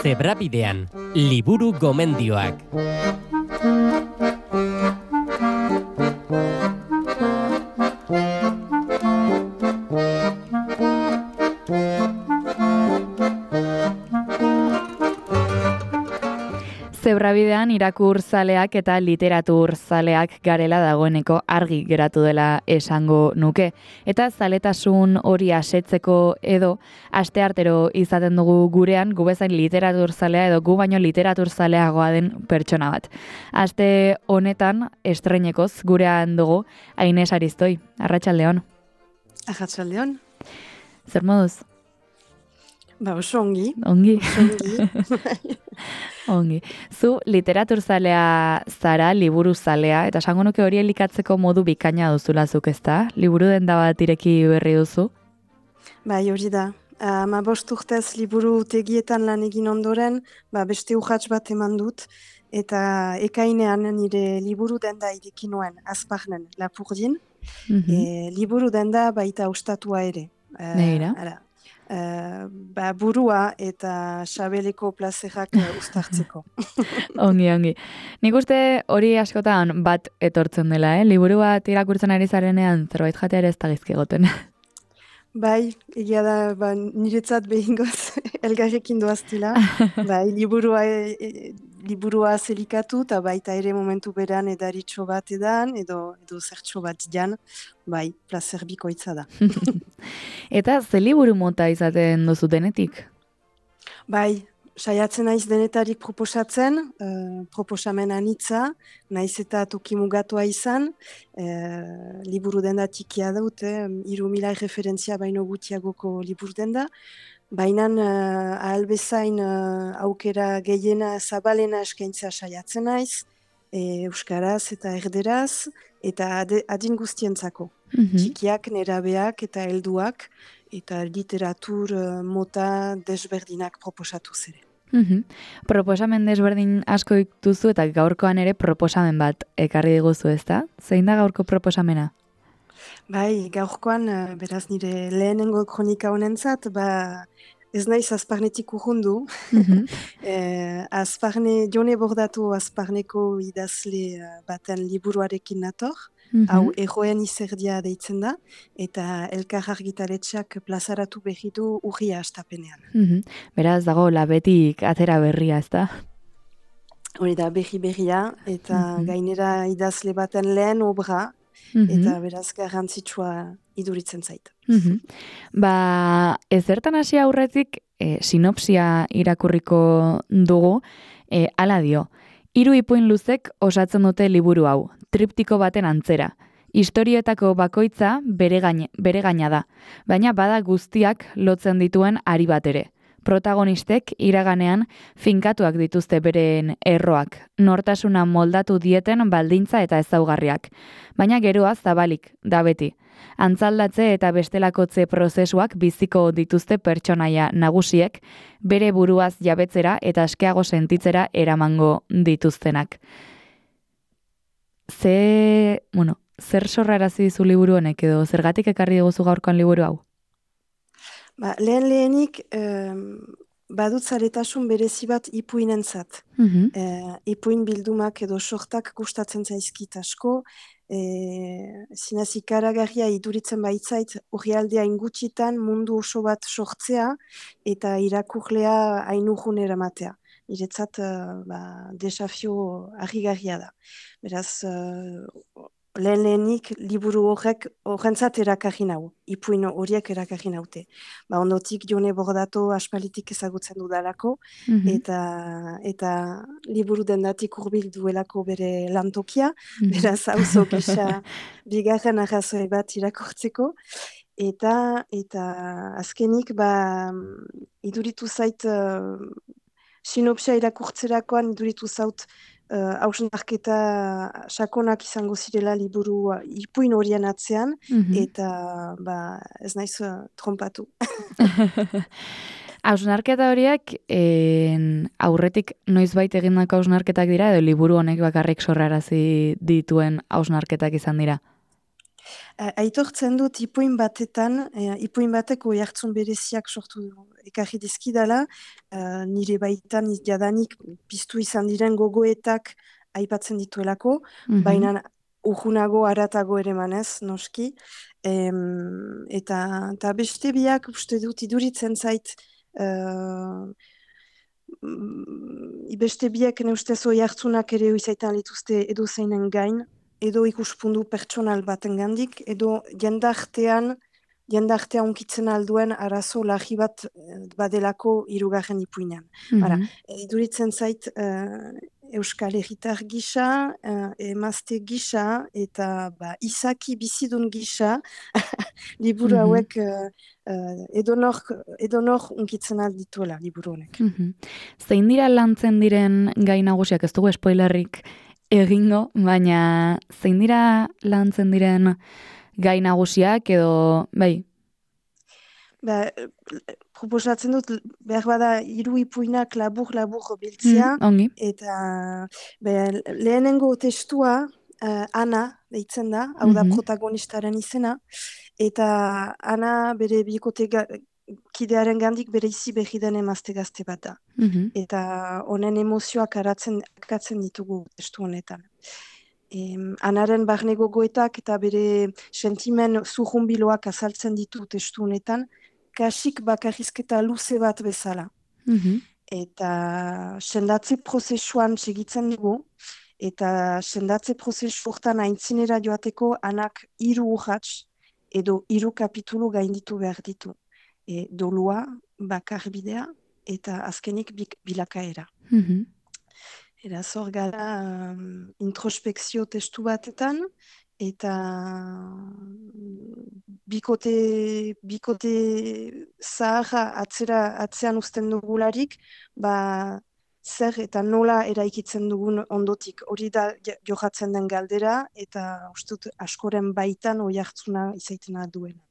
Zebrabidean, liburu gomendioak. Zebrabidean irakurzaleak eta literaturzaleak garela dagoeneko argi geratu dela esango nuke. Eta zaletasun hori asetzeko edo asteartero izaten dugu gurean, gu bezain literaturzalea edo gu baino literaturzaleagoa den pertsona bat. Aste honetan estreinekoz gurean dugu Aines Aristoi. Arratsaldeon. Arratsaldeon. Zer moduz? Oso ongi. Ongi. Ongi. Zu literaturzalea zara, liburuzalea, eta esango nuke hori elikatzeko modu bikaina duzulazuk, ezta? Liburu denda bat ireki berri duzu? Bai, hori da. 15 urtez liburu tegietan lan egin ondoren, beste urrats bat eman dut, eta ekainean nire liburu denda ireki nuen, Azparnen, Lapurdin. Liburu denda baita ostatua ere. Neira? Burua eta sabeleko plazerak uztartzeko. Ongi. Nik uste hori askotan bat etortzen dela, liburu bat irakurtzen ari zarenean zerbait jatea ere ez da gizki egoten. Bai, egia da, niretzat behingoz elgarrekin doaztila. Bai, liburua zelikatu, eta baita ere momentu beran edaritxo bat edan, edo zertxo bat jan, bai, plazer bikoitza da. Eta ze liburu mota izaten duzu denetik? Bai, saiatzen naiz denetarik proposatzen, proposamen anitza, naiz eta toki mugatua izan, liburu denda tikia dut, 3.000 referentzia baino gutiagoko liburu denda, baina ahalbezain aukera gehiena zabalena eskaintzea saiatzen naiz, euskaraz eta erderaz, eta adin guztientzako. Txikiak, nerabeak eta helduak, eta literatur mota desberdinak proposatuz ere. Proposamen desberdin asko dituzu eta gaurkoan ere proposamen bat ekarri diguzu, ezta? Zein da gaurko proposamena? Bai, gaurkoan, beraz nire lehenengo kronika honentzat, ez naiz Azparnetik urrundu. Jone Bordatu Azparneko idazle baten liburuarekin nator, hau Erroen izerdia deitzen da, eta Elkar Argitaletxeak plazaratu berritu urria astapenean. Beraz dago labetik atera berria, ezta? Hori da, berria, eta gainera idazle baten lehen obra, eta beraz garrantzitsua iduritzen zait. Ezertan hasi aurretik sinopsia irakurriko dugu, hala dio. 3 ipuin luzek osatzen dute liburu hau, triptiko baten antzera. Historioetako bakoitza bere gaina da, baina bada guztiak lotzen dituen ari bat ere. Protagonistek iraganean finkatuak dituzte beren erroak, nortasuna moldatu dieten baldintza eta ezaugarriak. Baina geroa zabalik, da beti. Antzaldatze eta bestelakotze prozesuak biziko dituzte pertsonaia nagusiek, bere buruaz jabetzera eta askeago sentitzera eramango dituztenak. Zer sorrarazi dizu liburu honek edo zergatik ekarri diguzu gaurkoan liburu hau? Lehenik badut zaretasun berezi bat ipuinentzat. Ipuin bildumak edo sortak gustatzen zaizkit asko, zinez ikaragarria iduritzen baitzait orrialdea ingutxitan mundu oso bat sortzea eta irakurlea hainurrun eramatea. Niretzat desafio harrigarria da. Beraz, lehenik liburu horrentzat erakarri nau, ipuin horiek erakarri naute. Ondotik Jone Bordatu aspalitik ezagutzen dudalako, eta liburu dendatik hurbil duelako bere lantokia, beraz auzo gisa bigarren arrazoi bat irakurtzeko, eta azkenik iduritu zait sinopsia irakurtzerakoan iduritu zaut hausnarketa sakonak izango zirela liburu ipuin horien atzean, eta ez naiz trompatu. Hausnarketa horiek aurretik noizbait egindako hausnarketak dira edo liburu honek bakarrik sorrarazi dituen hausnarketak izan dira? Aitortzen dut ipuin batetan, ipuin bateko oihartzun bereziak sortu ekarri dizkidala, nire baitan jadanik piztu izan diren gogoetak aipatzen dituelako, baina urrunago haratago ere manez, noski. Eta beste biak uste dut iduritzen zait, beste biak ne ustez oihartzunak ere izaitan lituzte edo zeinen gain, edo ikuspundu pertsonal batengandik, edo jendartean unkitzen alduen arazo lagi bat badelako hirugarren ipuinean. Iduritzen zait Euskal Herritar gisa, emazte gisa, eta izaki bizidun gisa, liburu hauek edonor unkitzen aldituela liburu honek. Zein dira lantzen diren gai nagusiak, ez dugu spoilerrik egingo, baina zein dira lantzen diren gai nagusiak edo, bai? Proposatzen dut, behar bada, 3 ipuinak labur biltzea, eta lehenengo testua Ana deitzen da, hau da protagonistaren izena, eta Ana bere bikote kidearen gandik bere izi behi den emazte gazte bat da. Eta honen emozioak akatzen ditugu testu honetan. Anaren barne gogoetak eta bere sentimen zurrunbiloak azaltzen ditu testu honetan, kasik bakarrizketa luze bat bezala. Eta sendatze prozesuan segitzen dugu, eta sendatze prozesu hortan aintzinera joateko Anak 3 urrats edo 3 kapitulu gainditu behar ditu. Dolua, bakarbidea eta azkenik bilakaera. Eraz hor gara introspekzio testu batetan, eta bikote zaharra atzean uzten dugularik, zer eta nola eraikitzen dugun ondotik. Hori da johatzen den galdera, eta ustut askoren baitan oihartzuna izaitena duena.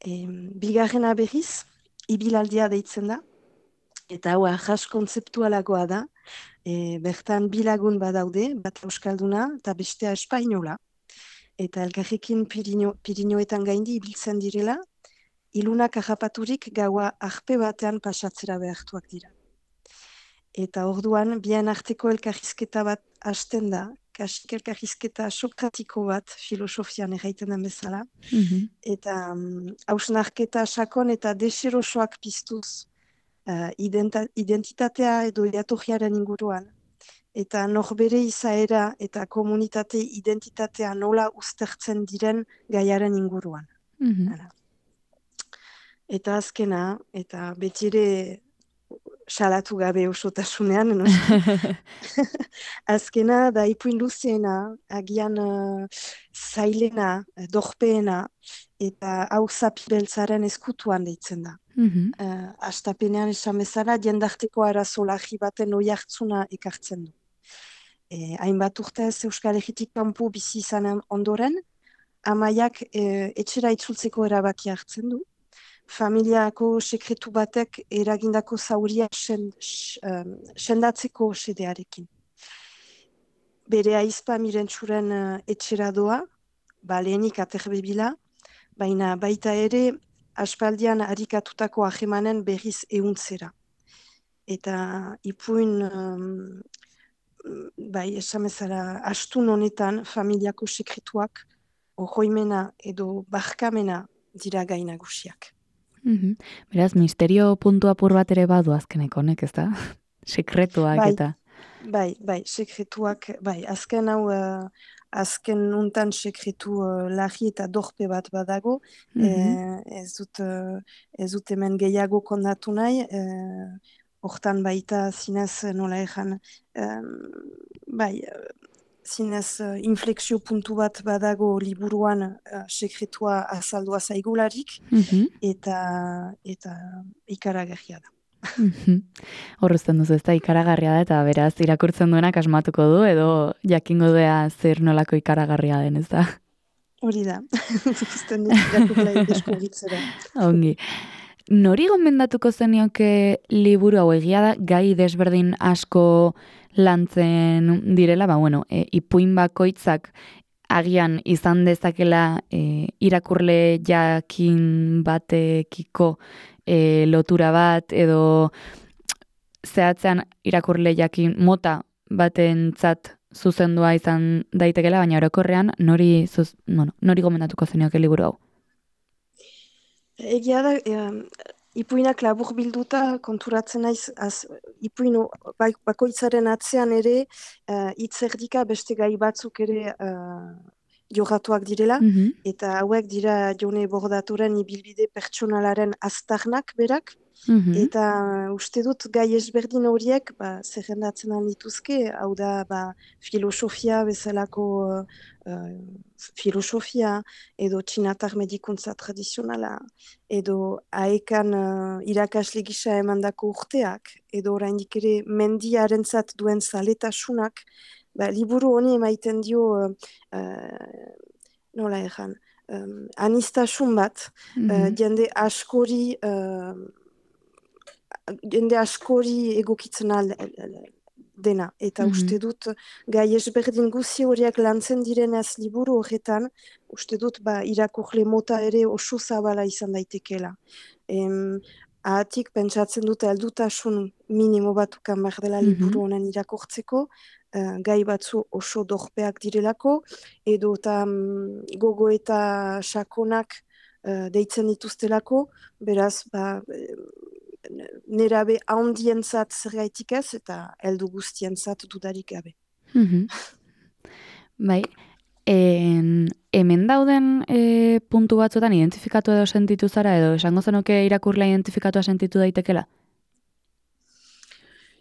Bigarrena berriz, ibilaldia deitzen da, eta hau ahas kontzeptualagoa da, bertan 2 lagun badaude, bat euskalduna eta bestea espainola, eta elkarrekin Pirinioetan gaindi ibiltzen direla, ilunak harrapaturik gaua arpe batean pasatzera behartuak dira. Eta orduan, bien arteko elkarrizketa bat hasten da, kasik elkarrizketa sokratiko bat filosofian erraiten den bezala, eta hausnarketa sakon eta deserosoak piztuz identitatea edo jatorriaren inguruan, eta norbere izaera eta komunitate identitatea nola uztertzen diren gaiaren inguruan. Eta azkena, eta betire salatu gabe osotasunean, azkena da ipuin luzeena, agian zailena, dorpeena, eta hau zapibeltzaren eskutuan deitzen da. Astapenean esan bezala, jendarteko arazo lagi baten oihartzuna ekartzen du. Hainbat urtez Euskal Herritik kanpo bizi izan ondoren, Amaiak etxera itzultzeko erabaki hartzen du. Familiako sekretu batek eragindako zauria sendatzeko xedearekin. Bere aizpa Mirentxuren etxera doa, lehenik aterbebila, baina baita ere aspaldian arikatutako ahemanen berriz ehuntzera. Eta ipuin, esan bezala, astun honetan familiako sekretuak ohoimena edo barkamena dira gai nagusiak. Beraz, misterio puntu apur bat ere badu azkeneko honek, ez da? Sekretuak eta... Bai, sekretuak, azken hau, azken untan sekretu lagi eta dorpe bat badago, ez dut hemen gehiago kondatu nahi, hortan baita zinez nola ejan, zinez inflexio puntu bat badago liburuan sekretua azaldua zaigularik, eta ikaragarria da. Horrezten duzu, ez da ikaragarria da, eta beraz irakurtzen duenak asmatuko du, edo jakingo dea zer nolako ikaragarria den, ez da? Hori da, zuzten dut irakurlai deskubritzera. Ongi. Nori gomendatuko zenioke liburu hau? Egia da, gai desberdin asko lantzen direla, ipuin bakoitzak agian izan dezakela irakurle jakin batekiko lotura bat edo zehatzean irakurle jakin mota batentzat zuzendua izan daitekela, baina orokorrean nori gomendatuko zenioke liburu hau? Egia da, ipuinak labur bilduta konturatzen naiz, ipuin bakoitzaren atzean ere hitzerdika beste gai batzuk ere jorratuak direla, eta hauek dira Jone Bordaturen ibilbide pertsonalaren aztarnak berak, eta uste dut gai ezberdin horiek zerrendatzen dituzke, hau da filosofia bezalako filosofia edo txinatar medikuntza tradizionala, edo aekan irakasle gisa emandako urteak, edo oraindik ere mendiarentzat duen zaletasunak, liburu honi emaiten dio nola egan, anistasun bat, jende askori egokitzen dena. Eta uste dut, gai ezberdin guzi horiek lantzen direnez liburu horretan, uste dut irakurle mota ere oso zabala izan daitekeela. Ahatik pentsatzen dute heldutasun minimo batukan behar dela liburu honen irakurtzeko, gai batzu oso dorpeak direlako, edo eta gogo eta sakonak deitzen dituztelako, beraz, nerabe handientzat zergaitik ez, eta heldu guztientzat dudarik gabe. Bai, hemen dauden puntu batzuetan identifikatu edo sentitu zara, edo esango zenuke irakurlea identifikatua sentitu daitekela?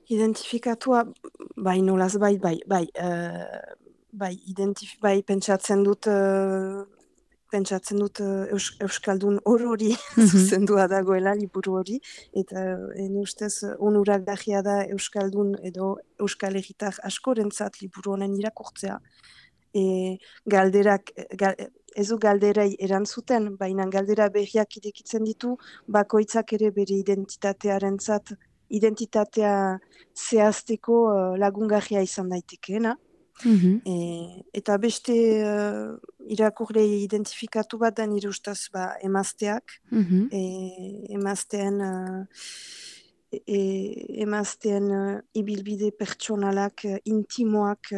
Identifikatua, nolaz, pentsatzen dut Euskaldun hori zuzendua dagoela liburu hori, eta ustez onurak dajia da Euskaldun edo Euskal Herritar askorentzat liburu honen irakurtzea. Galderak, ez du galderei erantzuten, baina galdera berriak irekitzen ditu, bakoitzak ere bere identitatea zehazteko lagungarria izan daitekeena. Eta beste irakurle identifikatu bat da nire ustez emazteak, emazteen ibilbide pertsonalak, intimoak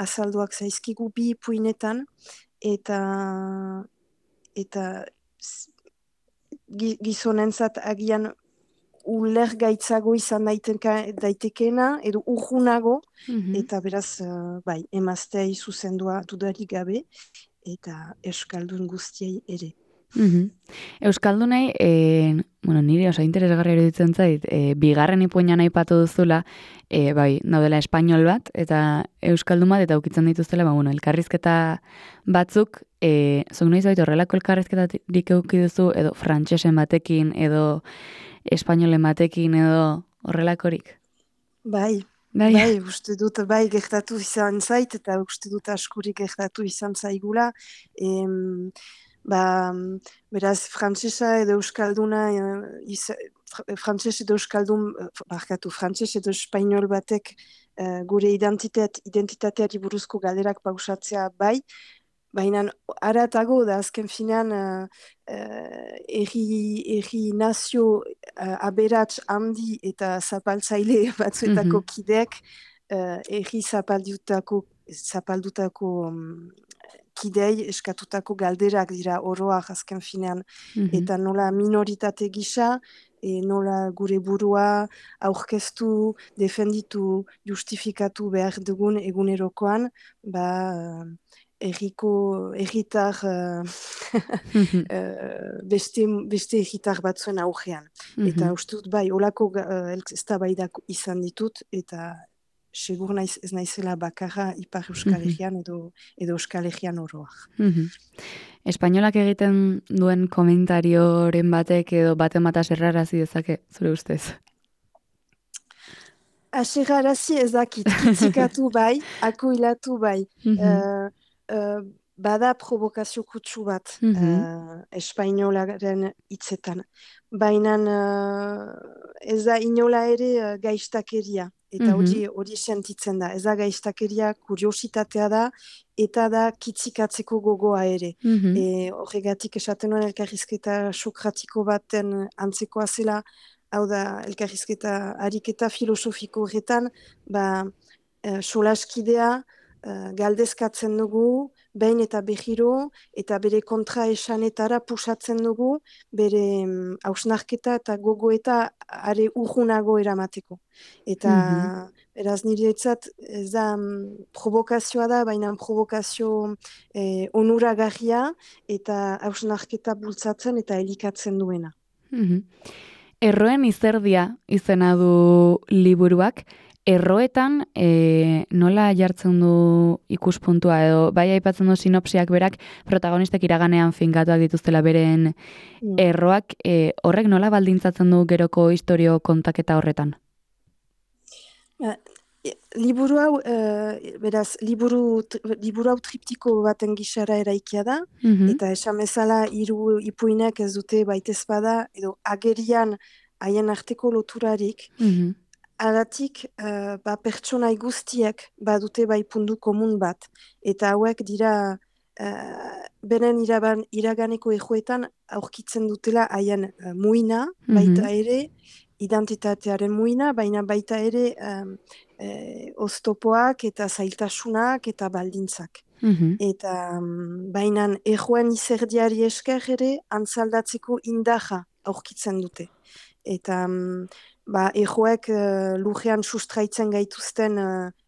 azalduak zaizkigu bi ipuinetan, eta gizonentzat agian ulergaitzago izan daitekeena, edo urgunago, eta beraz, emazteai zuzendua dudarik gabe, eta euskaldun guztiei ere. Euskaldunei, nire oso interesgarri eruditzen zait, bigarren ipuinan aipatu duzula, daudela espainol bat, eta euskaldun bat, eta ukitzen dituztela, elkarrizketa batzuk, zuk noiz baitu horrelako elkarrizketarik euki duzu, edo frantsesen batekin, edo espainolen batekin, edo horrelakorik? Bai, uste dut, gertatu izan zait, eta uste dut askurik gertatu izan zaigula, beraz, frantsesa edo euskalduna, frantses edo espainol batek gure identitateari buruzko galderak pausatzea baina haratago da azken finean erri nazio aberats handi eta zapaltzaile batzuetako kideek erri zapaldutako kidei eskatutako galderak dira oroak azken finean, eta nola minoritate gisa, nola gure burua aurkeztu, defenditu, justifikatu behar dugun egunerokoan, erritar beste erritar batzuen aurrean. Eta uste dut olako eztabaidak izan ditut, eta segur ez naizela bakarra Ipar Euskal Herrian edo Euskal Herrian oroak. Espainolak egiten duen komentarioren batek edo baten bat aserrarazi dezake, zure ustez? Aserrarazi ez dakit, kitzikatu akuilatu bada provokazio kutsu bat espainolaren hitzetan. Baina ez da inola ere gaiztakeria. eta hori sentitzen da. Ez da gaiztakeria, kuriositatea da, eta da kitzikatzeko gogoa ere. Horregatik esaten nuen elkarrizketa sokratiko baten antzekoa zela, hau da elkarrizketa ariketa filosofiko horretan, solaskidea galdezkatzen dugu, behin eta behiro, eta bere kontra esanetara pusatzen dugu, bere hausnarketa eta gogoeta are urgunago eramateko. Eta beraz niretzat ez da provokazioa da, baina provokazio onuragarria eta hausnarketa bultzatzen eta elikatzen duena. Erroen izerdia izena du liburuak, erroetan nola jartzen du ikuspuntua edo bai aipatzen du sinopsiak berak protagonistek iraganean finkatuak dituztela beren erroak, horrek nola baldintzatzen du geroko istorio kontaketa horretan? Liburu hau, beraz, liburu hau triptiko baten gisara eraikia da, eta esan bezala hiru ipuinak ez dute baitez bada, edo agerian haien arteko loturarik, Alatik, pertsonai guztiek badute bai puntu komun bat. Eta hauek dira, beren iraganeko ejoetan aurkitzen dutela haien muina, baita ere, identitatearen muina, baina baita ere oztopoak eta zailtasunak eta baldintzak. Eta bainan ejoen izerdiari esker ere, antzaldatzeko indaja aurkitzen dute. Eta ejoek lujean sustraitzen gaituzten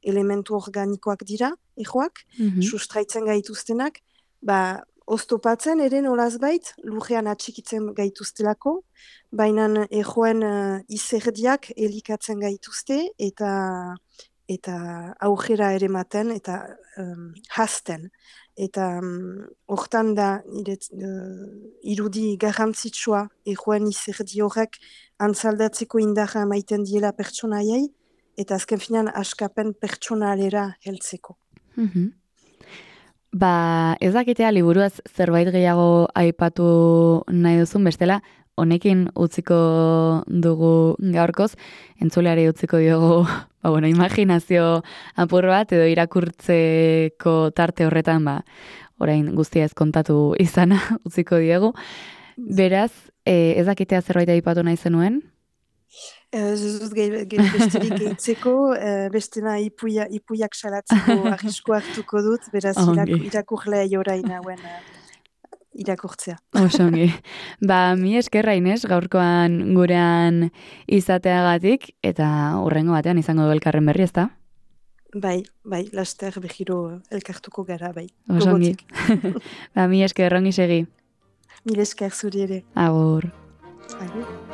elementu organikoak dira, ejoak, sustraitzen gaituztenak, oztopatzen ere nolazbait lujean atxikitzen gaituztelako, baina ejoen izerdiak elikatzen gaituzte eta aurrera ere maten eta hasten. Eta hortan da irudi garrantzitsua ejoen izerdi horrek antzaldatzeko indarra emaiten diela pertsonaiei, eta azken finan askapen pertsonalera heltzeko. Ez dakitea liburuaz zerbait gehiago aipatu nahi duzun, bestela honekin utziko dugu gaurkoz, entzuleari utziko diogu imaginazio apur bat edo irakurtzeko tarte horretan orain guztia ez kontatu izana utziko diegu. Beraz, ez dakitea zerbait aipatu nahi zenuen? Ez dut besterik gehitzeko, bestena ipuiak salatzeko arrisko hartuko dut, beraz irakurlea jorain hauen irakurtzea. Osongi. Mi esker Inés gaurkoan gurean izateagatik, eta hurrengo batean izango du elkarren berri, ezta? Bai, laster behiro elkartuko gara, bai. Osongi. Mi esker, ongi segi. Mil esker zuri ere. Agur. Agur.